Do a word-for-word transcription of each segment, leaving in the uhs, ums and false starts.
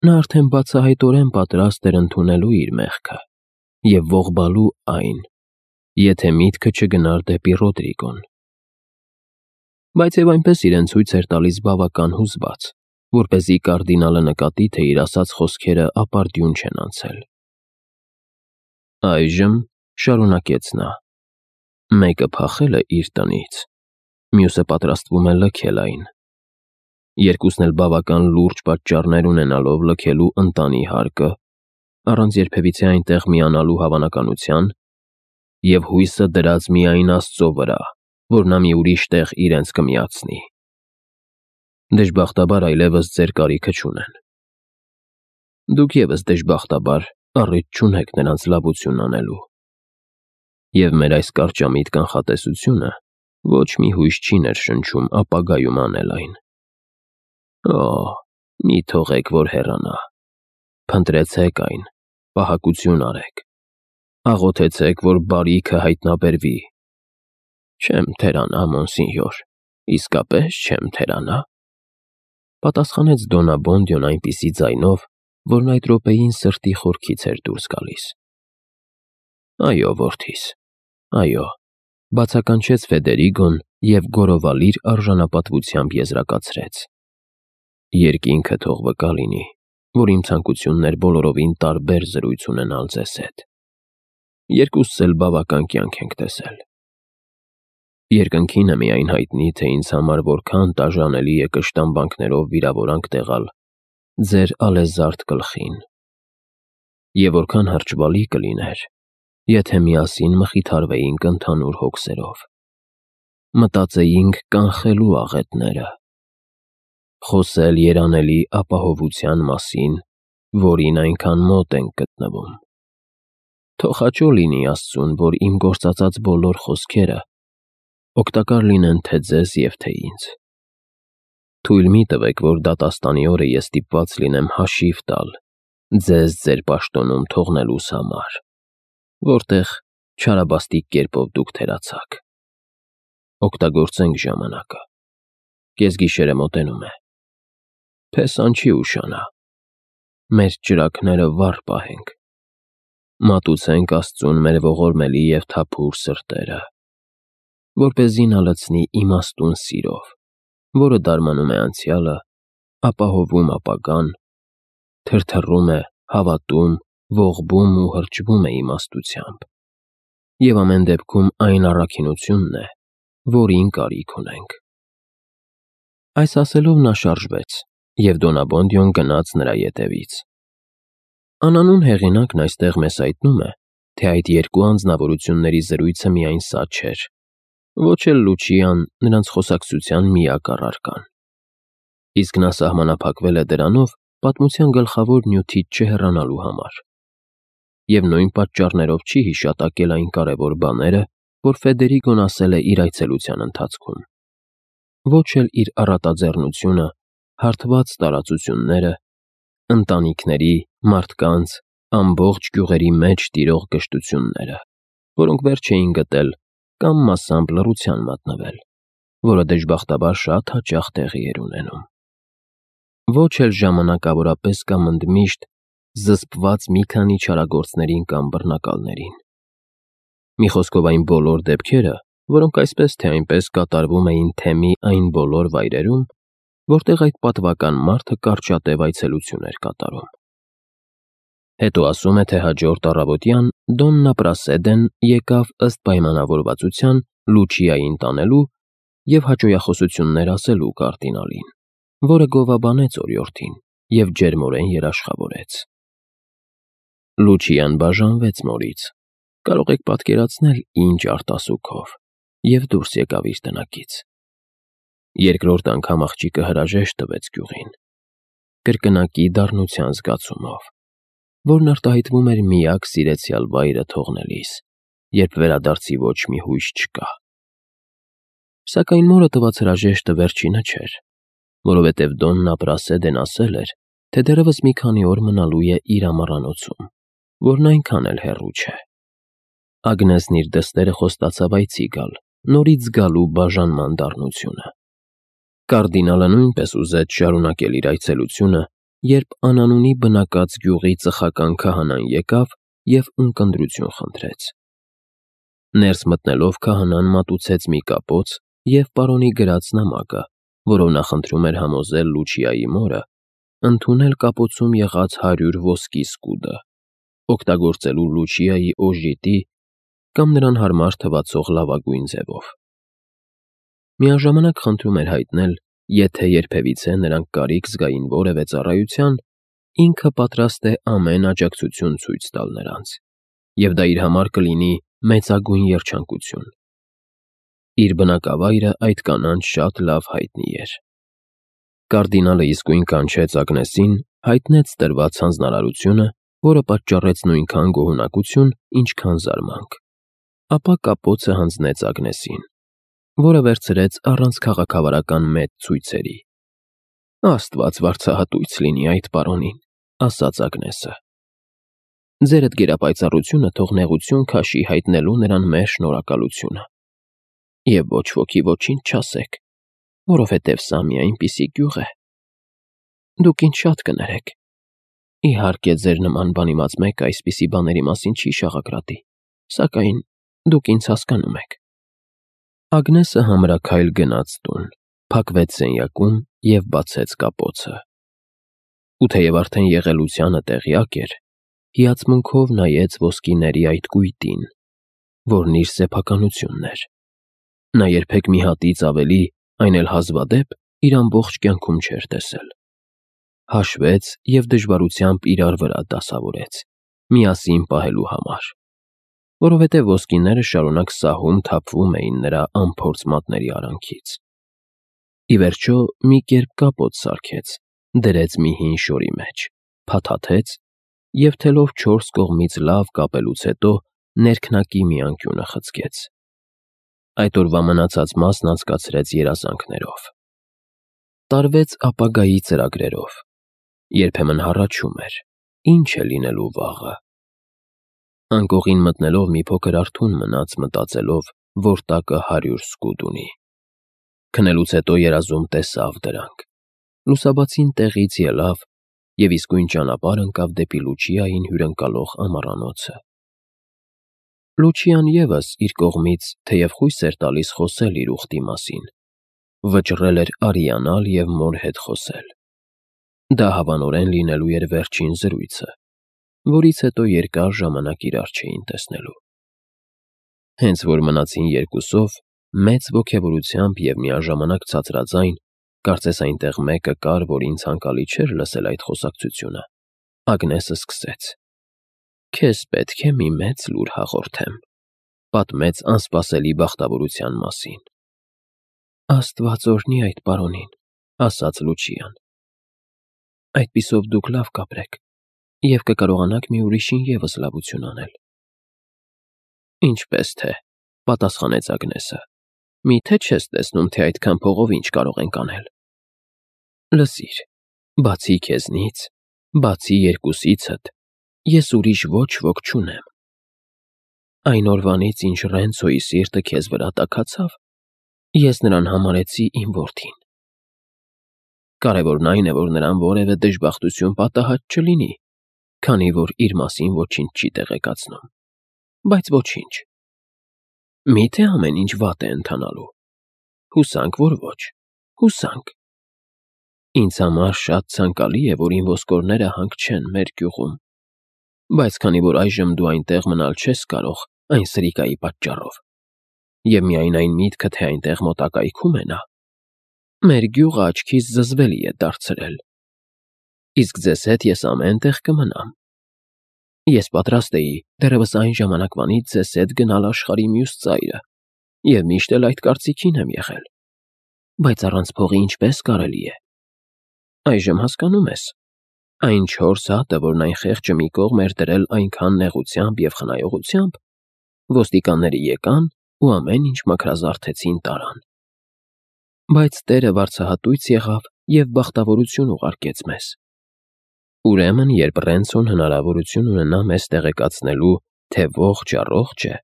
Նա արդեն բացահայտորեն պատրաստ էր ընդունելու իր մեղքը և ողբալու այն, եթե միտքը չգնար դեպի Ռոդրիգոն։ Բայց և այնպես իրեն ցույց էր տալիս բավական հուզված, որպեսզի կարդինալը նկատի, թե իր ասած խոսքերը ապարդյուն չեն անցել։ Այժմ, շարունակեց նա, մեկը փախել է իր տնից, մյուսը պատրաստվում է լքել այն։ Երկուսն էլ բավական լուրջ պատճառներ ունենալով լքելու ընտանի հարկը, առանց երբևիցե այնտեղ միանալու հավանականության և հույսը դրած միայն Աստծո վրա, որ նա մի ուրիշ տեղ իրենց կմիացնի։ Դժբախտաբար այլևս ձեր կարիքը չունեն։ Դուք ևս դժբախտաբար առիթ չունեք նրանց լավություն անելու։ Եվ մեր այս կարճամիտ կանխատեսությունը ոչ մի հույս չի ներշնչում ապագայում անել այն։ Օ, մի թողեք, որ հեռանա, փնտրեցեք այն, պահակություն արեք, աղոթեցեք, որ բարիքը հայտնաբերվի։ Չեմ թերանա, մոնսինյոր, իսկապես չեմ թերանա, պատասխանեց Դոննա Բոնդիոն այնպիսի ձայնով, որն այդ րոպեին սրտի խորքից էր դուրս գալիս։ Այո, որդիս, այո, բացականչեց Ֆեդերիգոն և գոռովալիր արժանապատվությամբ եզրակացրեց։ Երկինքը թող վկա լինի, որ իմ ցանկությունն էր բոլորովին տարբեր զրույց ունենալ ձեզ հետ։ Երկուսս էլ բավական կյանք ենք տեսել։ Երկնքին է միայն հայտնի, թե ինձ համար որքան տաժանելի է կշտամբանքներով վիրավորանք տեղալ ձեր ալեզարդ գլխին։ Եվ որքան հրճվալի կլիներ, եթե միասին մխիթարվեինք ընդհանուր հոգսերով, մտածեինք կանխելու աղետները, խոսել երանելի ապահովության մասին, որին այնքան մոտ ենք գտնվում։ Թող հաճո լինի Աստծուն, որ իմ գործածած բոլոր խոսքերը օգտակար լինեն թե ձեզ և թե ինձ։ Թույլ մի տվեք, որ դատաստանի օրը ես ստիպված լինեմ հաշիվ տալ ձեզ ձեր պաշտոնում թողնելուս համար, որտեղ չարաբաստիկ կերպով դուք թերացաք։ Օգտագործենք ժամանակը։ Կեսգիշերը մոտենում է։ Փեսան չի ուշանա։ Մեր ճրագները վառ պահենք։ Մատուցենք Աստծուն մեր ողորմելի և թափուր սրտերը, որպեսզի նա լցնի իմաստուն սիրով, որը դարմանում է անցյալը, ապահովում ապագան, թրթռում է, հավատում, ողբում ու հրճվում է իմաստությամբ, և ամեն դեպքում այն առաքինությունն է, որին կարիք ունենք։ Այս ասելով նա շարժվեց, և Դոննա Բոնդիոն գնաց նրա ետևից։ Անանուն հեղինակն այստեղ մեզ հայտնում է, թե այդ երկու անձնավորությունների զրույցը միայն սա չէր, ոչ էլ Լուչիան նրանց խոսակցության միակ առարկան։ Իսկ նա սահմանափակվել է դրանով պատմության գլխավոր նյութից չհեռանալու համար։ Եվ նույն պատճառներով չի հիշատակել այն կարևոր բաները, որ Ֆեդերիգոն ասել է իր այցելության ընթացքում։ Ոչ էլ իր առատաձեռնությունը, հարթված տարածությունները, ընտանիքների, մարդկանց, ամբողջ գյուղերի մեջ տիրող կշտությունները, որոնք վերջ էին գտել կամ մասամբ լռության մատնվել, որը դժբախտաբար շատ հաճախ տեղի էր ունենում։ Ոչ էլ ժամանակավորապես կամ ընդմիշտ զսպված մի քանի չարագործներին կամ բռնակալներին։ Մի խոսքով այն բոլոր դեպքերը, որոնք այսպես թե այնպես կատարվում էին թեմի այն բոլոր վայրերում, որտեղ այդ պատվական մարդը կարճատև այցելություն էր կատարում։ Հետո ասում է, թե հաջորդ առավոտյան Դոննա Պրասեդեն եկավ ըստ պայմանավորվածության Լուչիային տանելու և հաճոյախոսություններ ասելու կարդինալին, որը գովաբանեց օրիորդին և ջերմորեն երաշխավորեց։ Լուչիան բաժանվեց մորից, կարող եք պատկերացնել ինչ արտասուքով, և դուրս եկավ իր տնակից։ Երկրորդ անգամ աղջիկը հրաժեշտ տվեց գյուղին, կրկնակի դառնության զգացումով, որն արտահայտվում էր միակ սիրեցյալ վայրը թողնելիս, երբ վերադարձի ոչ մի հույս չկա։ Սակայն մորը տված հրաժեշտը վերջինը չէր, որովհետև Դոննա Պրասեդեն ասել էր, թե դեռևս մի քանի օր մնալու է իր ամառանոցում, որն այնքան էլ հեռու չէ։ Ագնեսն իր դստերը խոստացավ այցի գալ, նորից զգալու բաժանման դառնությունը։ Կարդինալը նույնպես ուզեց շարունակել իր այցելությունը երբ անանունի բնակած գյուղի ծխական քահանան եկավ և ունկնդրություն խնդրեց։ Ներս մտնելով քահանան մատուցեց մի կապոց և պարոնի գրած նամակը, որով նա խնդրում էր համոզել Լուչիայի մորը ընդունել կապոցում եղած հարյուր ոսկի սկուդը, օգտագործելու Լուչիայի օժիտի կամ նրան հարմար թվացող լավագույն ձևով։ Միաժամանակ խնդրում էր հայտնել, եթե երբևիցե նրանք կարիք զգային որևէ ծառայության, ինքը պատրաստ է ամեն աջակցություն ցույց տալ նրանց, և դա իր համար կլինի մեծագույն երջանկություն։ Իր բնակավայրը այդ կանանց շատ լավ հայտնի էր։ Կարդինալը իսկույն կանչեց Ագնեսին, հայտնեց տրված հանձնարարությունը, որը պատճառեց նույնքան գոհունակություն, ինչքան զարմանք, ապա կապոցը հանձնեց Ագնեսին, որը վերցրեց առանց քաղաքավարական մեծ ցույցերի։ «Աստված վարձահատույց լինի այդ պարոնին», ասաց Ագնեսը։ «Ձերդ գերապայծառությունը թող նեղություն քաշի հայտնելու նրան մեր շնորհակալությունը։ Եվ ոչ ոքի ոչինչ չասեք, որովհետև սա մի այնպիսի գյուղ է։ Դուք ինձ շատ կներեք։ Իհարկե, ձեր նման բանիմաց մեկը այսպիսի բաների մասին չի շաղակրատի, սակայն դուք ինձ հասկանում եք»։ Ագնեսը համրաքայլ գնաց տուն, փակվեց սենյակում և բացեց կապոցը։ Ու թեև արդեն եղելությանը տեղյակ էր, հիացմունքով նայեց ոսկիների այդ կույտին, որն իր սեփականությունն էր։ Նա երբեք մի հատից ավելի, այն էլ հազվադեպ, իր ամբողջ կյանքում չէր տեսել։ Հաշվեց և դժվարությամբ իրար վրա դասավորեց, միասին պահելու համար, որովհետև ոսկիները շարունակ սահում թափվում էին նրա անփորձ մատների արանքից։ Ի վերջո մի կերպ կապոց սարքեց, դրեց մի հին շորի մեջ, փաթաթեց և թելով չորս կողմից լավ կապելուց հետո ներքնակի մի անկյունը խցկեց։ Այդ օրվա մնացած մասն անցկացրեց երազանքներով։ Տարվեց ապագայի ծրագրերով։ Երբեմն հառաչում էր. ինչ է լինելու վաղը։ Անկողին մտնելով մի փոքր արթուն մնաց, մտածելով, որ տակը հարյուր սկուդ ունի։ Քնելուց հետո երազում տեսավ դրանք։ Լուսաբացին տեղից ելավ և իսկույն ճանապարհ ընկավ դեպի Լուչիային հյուրընկալող ամառանոցը։ Լուչիան ևս իր կողմից, թեև խույս էր տալիս խոսել իր ուխտի մասին, վճռել էր արիանալ և մոր հետ խոսել։ Դա հավանորեն լինելու էր վերջին զրույցը, որից հետո երկար ժամանակ իրար չէին տեսնելու։ Հենց որ մնացին երկուսով, մեծ ոգևորությամբ և միաժամանակ ցածրաձայն, կարծես այնտեղ մեկը կար, որին ցանկալի չէր լսել այդ խոսակցությունը, Ագնեսը սկսեց. «Քեզ պետք է մի մեծ լուր հաղորդեմ», պատմեց անսպասելի բախտավորության մասին։ «Աստված օրհնի այդ պարոնին», ասաց Լուչիան։ «Այդպիսով դուք լավ կապրեք և կկարողանաք մի ուրիշին ևս լավություն անել»։ «Ինչպես թե», պատասխանեց Ագնեսը, «միթե չես տեսնում, թե այդքան փողով ինչ կարող ենք անել»։ «Լսիր, բացի քեզնից, բացի երկուսիցդ, ես ուրիշ ոչ ոք չունեմ։ Այն օրվանից, ինչ Ռենցոյի սիրտը քեզ վրա տաքացավ, ես նրան համարեցի իմ որդին։ Կարևորն այն է, որ նրան որևէ դժբախտություն պատահած չլինի, քանի որ իր մասին ոչինչ չի տեղեկացնում։ Բայց ոչինչ։ Միթե ամեն ինչ վատ է ընթանալու։ Հուսանք, որ ոչ, հուսանք։ Ինձ համար շատ ցանկալի է, որ իմ ոսկորները հանք չեն մեր գյուղում, բայց քանի որ այժմ դու այնտեղ մնալ չես կարող այն սրիկայի պատճառով, և միայն այն միտքը, թե այնտեղ մոտակայքում է նա, մեր գյուղը աչքիս զզվելի է դարձրել։ Իսկ ձեզ հետ ես ամեն տեղ կմնամ։ Ես պատրաստ էի դեռևս այն ժամանակվանից ձեզ հետ գնալ աշխարհի մյուս ծայրը և միշտ էլ այդ կարծիքին եմ եղել։ Բայց առանց փողի ինչպե՞ս կարելի է։ Այժմ հասկանում ես, այն չորս հատը, որն այն խեղճը մի կողմ էր դրել այնքան նեղությամբ և խնայողությամբ, ոստիկանները եկան ու ամեն ինչ մաքրազարդեցին տարան։ Բայց Տերը վարձահատույց եղավ և բախտավորություն ուղարկեց մեզ։ Ուրեմն, երբ Ռենցոն հնարավորություն ունենա մեզ տեղեկացնելու, թե ողջ առողջ է,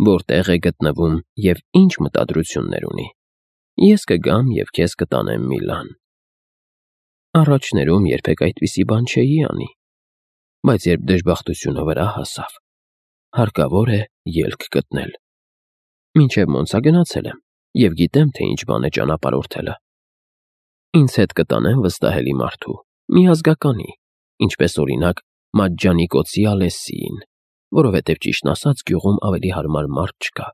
որտեղ է գտնվում և ինչ մտադրություններ ունի, ես կգամ և քեզ կտանեմ Միլան։ Առաջներում երբեք այդպիսի բան չէի անի, բայց երբ դժբախտությունը վրա հասավ, հարկավոր է ելք գտնել։ Մինչև Մոնցա գնացել եմ և գիտեմ, թե ինչ բան է ճանապարհորդելը։ Ինձ հետ կտանեն վստահելի մարդու, միազգականի, ինչպես օրինակ Մաջջանիկոցի Ալեսիին, որովհետև ճիշտն ասած գյուղում ավելի հարմար մարդ չկա։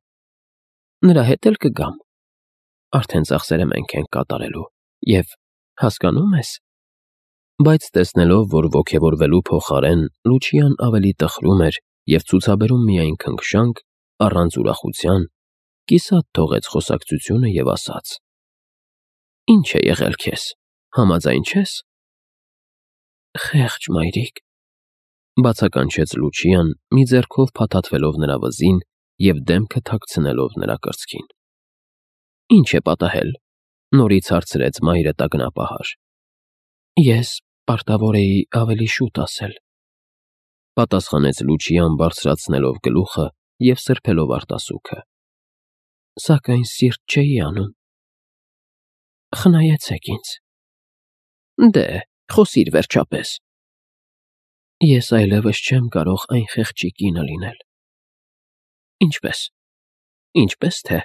Նրա հետ էլ կգամ։ Արդեն ծախսերը մենք ենք կատարելու և, հասկանո՞ւմ ես։ Բայց տեսնելով, որ ոգևորվելու փոխարեն Լուչիան ավելի տխրում էր և ցուցաբերում միայն քնքշանք, առանց ուրախության, կիսատ թողեց խոսակցությունը և ասաց. «Ինչ է եղել քեզ, համաձայն չես»։ «Խեղճ մայրիկ», բացականչեց Լուչիան, մի ձեռքով փաթաթվելով նրա վզին և դեմքը թաքցնելով նրա կրծքին։ «Ինչ է պատահել», նորից հարցրեց մայրը տագնապահար։ «Ես պարտավոր էի ավելի շուտ ասել», պատասխանեց Լուչիան բարձրացնելով գլուխը և սրբելով արտասուքը։ «Սակայն սիրտ չէի անում։ Խնայեցեք ինձ»։ «Դե, խոսիր վերջապես»։ «Ես այլևս չեմ կարող այն խեղճի կինը լինել»։ «Ինչպե՞ս, ինչպե՞ս թե»։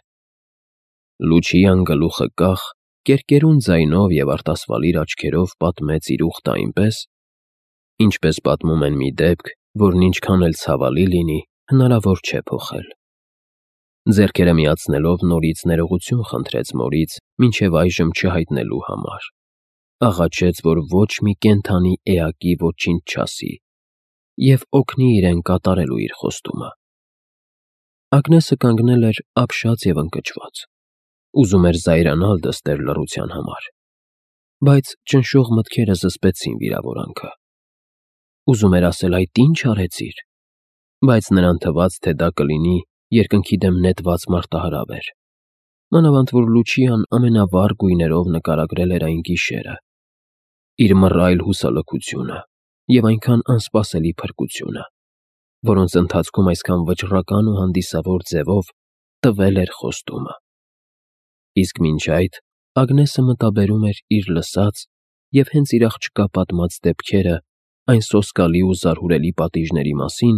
Լուչիան գլուխը կախ, կերկերուն ձայնով և արտասվալիր աչքերով պատմեց իր ուխտը այնպես, ինչպես պատմում են մի դեպք, որն ինչքան էլ ցավալի լինի, հնարավոր չէ փոխել։ Ձեռքերը միացնելով նորից ներողություն խնդրեց մորից մինչև այժմ չհայտնելու համար։ Աղաչեց, որ ոչ մի կենդանի էակի ոչինչ չասի և օգնի իրեն կատարելու իր խոստումը։ Ագնեսը կանգնել էր ապշած և ընկճված, ուզում էր զայրանալ դստեր լռության համար, բայց ճնշող մտքերը զսպեցին վիրավորանքը։ Ուզում էր ասել այդ ի՞նչ արեցիր, բայց նրան թվաց, թե դա կլինի երկնքի դեմ նետված մարտահրավեր, մանավանդ որ Լուչիան ամենավառ գույներով նկարագրել էր այն գիշերը, իր մռայլ հուսալքությունը և այնքան անսպասելի փրկությունը, որոնց ընթացքում այսքան վճռական ու հանդիսավոր ձևով տվել էր խոստումը։ Իսկ մինչ այդ Ագնեսը մտաբերում էր իր լսած և հենց իր աղջկա պատմած դեպքերը այն սոսկալի ու զարհուրելի պատիժների մասին,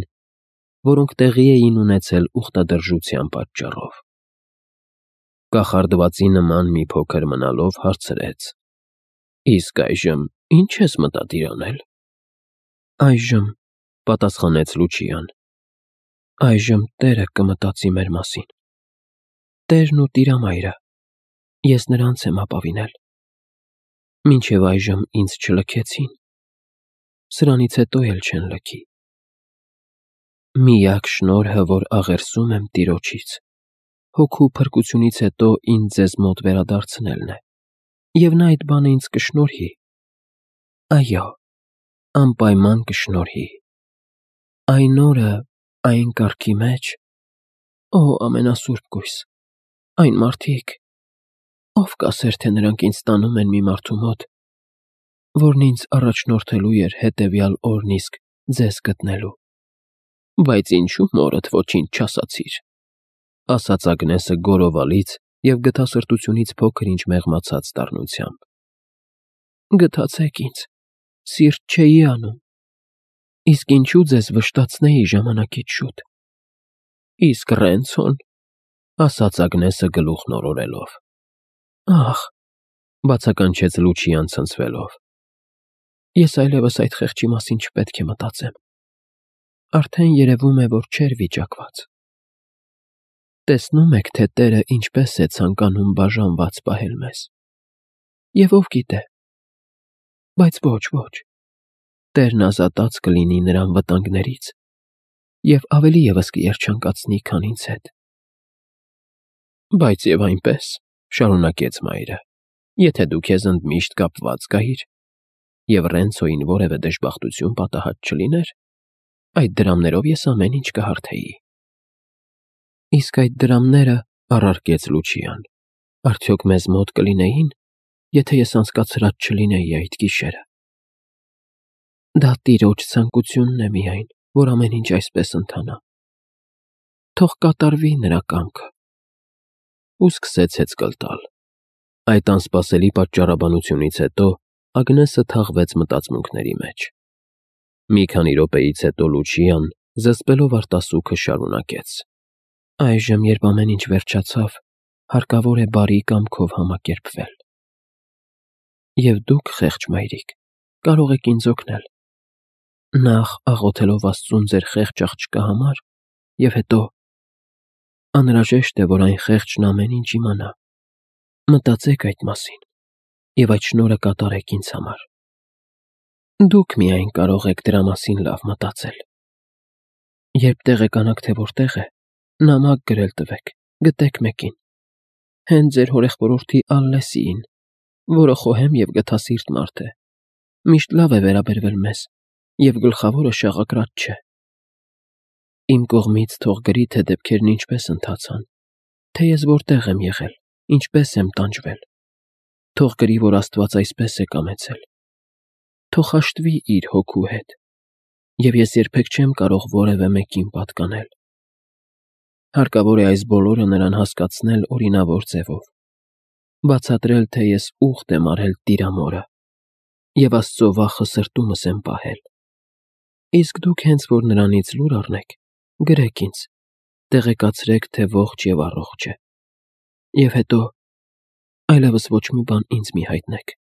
որոնք տեղի էին ունեցել ուխտադրժության պատճառով։ Կախարդվածի նման մի փոքր մնալով հարցրեց. «Իսկ այժմ ի՞նչ ես մտադիր անել»։ «Այժմ», պատասխանեց Լուչիան, «այժմ Տերը կմտածի մեր մասին։ Տերն ու Տիրամայրը, ես նրանց եմ ապավինել։ Մինչև այժմ ինձ չլքեցին, սրանից հետո էլ չեն լքի։ Միակ շնորհը, որ աղերսում եմ Տիրոջից, հոգու փրկությունից հետո ինձ ձեզ մոտ վերադարձնելն է, և նա այդ բանը ինձ կշնորհի։ Այո, անպայման կշնորհի։ Այն օրը, այն կարգի մեջ, օ ամենասուրբ կույս, այն մարդիկ, ով կասեր, թե նրանք ինձ տանում են մի մարդու մոտ, որն ինձ առաջնորդելու էր հետևյալ օրն իսկ ձեզ գտնելու։ Բայց ինչու մորդ ոչինչ չասացիր», ասաց Ագնեսը գոռովալից և գթասրտությունից փոքր-ինչ մեղմացած դառնությամբ։ «Գթացեք ինձ, սիրտ չէի անում, իսկ ինչու ձեզ վշտացնեի ժամանակից շուտ»։ «Իսկ Ռենցո՞ն», ասաց Ագնեսը գլուխն օրորելով։ «Ախ», բացականչեց Լուչիան ցնցվելով, «ես այլևս այդ խեղճի մասին չպետք է մտածեմ։ Արդեն երևում է, որ չէր վիճակված։ Տեսնում եք, թե Տերը ինչպես է ցանկանում բաժանված պահել մեզ։ Եվ ով գիտե, բայց ոչ, ոչ, Տերն ազատած կլինի նրան վտանգներից և ավելի ևս կերջանկացնի, քան ինձ հետ»։ «Բայց և այնպես», շարունակեց մայրը, «եթե դու քեզ ընդմիշտ կապված զգայիր, և Ռենցոյին որևէ դժբախտություն պատահած չլիներ, այդ դրամներով ես ամեն ինչ կհարթեի»։ «Իսկ այդ դրամները, ֊ առարկեց Լուչիան, ֊ արդյոք մեզ մոտ կլինեին, եթե ես անցկացրած չլինեի այդ գիշերը։ Դա Տիրոջ ցանկությունն է միայն, որ ամեն ինչ այսպես ընթանա։ Թող կատարվի նրա կամքը»։ Ու սկսեց հեծկլտալ։ Այդ անսպասելի պատճառաբանությունից հետո Ագնեսը թաղվեց մտածմունքների մեջ։ Մի քանի րոպեից հետո Լուչիան, զսպելով արտասուքը, շարունակեց. Այժմ, երբ ամեն ինչ վերջացավ, հարկավոր է բարի կամքով համակերպվել։ Եվ դուք, խեղճ մայրիկ, կարող եք ինձ օգնել, նախ աղոթելով Աստծուն ձեր խեղճ աղջկա համար, և հետո… Անհրաժեշտ է, որ այն խեղճն ամեն ինչ իմանա։ Մտածեք այդ մասին և այդ շնորհը կատարեք ինձ համար։ Դուք միայն կարող եք դրա մասին լավ մտածել։ Երբ տեղեկանաք, թե որտեղ է, նամակ գրել տվեք, գտեք մեկին, հենց ձեր հորեղբորորդի Ալլեսիին, որը խոհեմ և գթասիրտ մարդ է, միշտ լավ է վերաբերվել մեզ և գլխավորը շաղակրաց չէ։ Իմ կողմից թող գրի, թե դեպքերն ինչպես ընթացան, թե ես որտեղ եմ եղել, ինչպես եմ տանջվել։ Թող գրի, որ Աստված այսպես է կամեցել։ Թող հաշտվի իր հոգու հետ, և ես երբեք չեմ կարող որևէ մեկին պատկանել։ Հարկավոր է այս բոլորը նրան հասկացնել օրինավոր ձևով, բացատրել, թե ես ուխտ եմ արել տիրամորը և Աստծո վախը սրտումս եմ պահել։ Իսկ դուք հենց որ նրանից լուր առնեք, գրեք ինձ, տեղեկացրեք, թե ողջ և առողջ է։ Եվ հետո այլևս ոչ մի բան ինձ մի հայտնեք։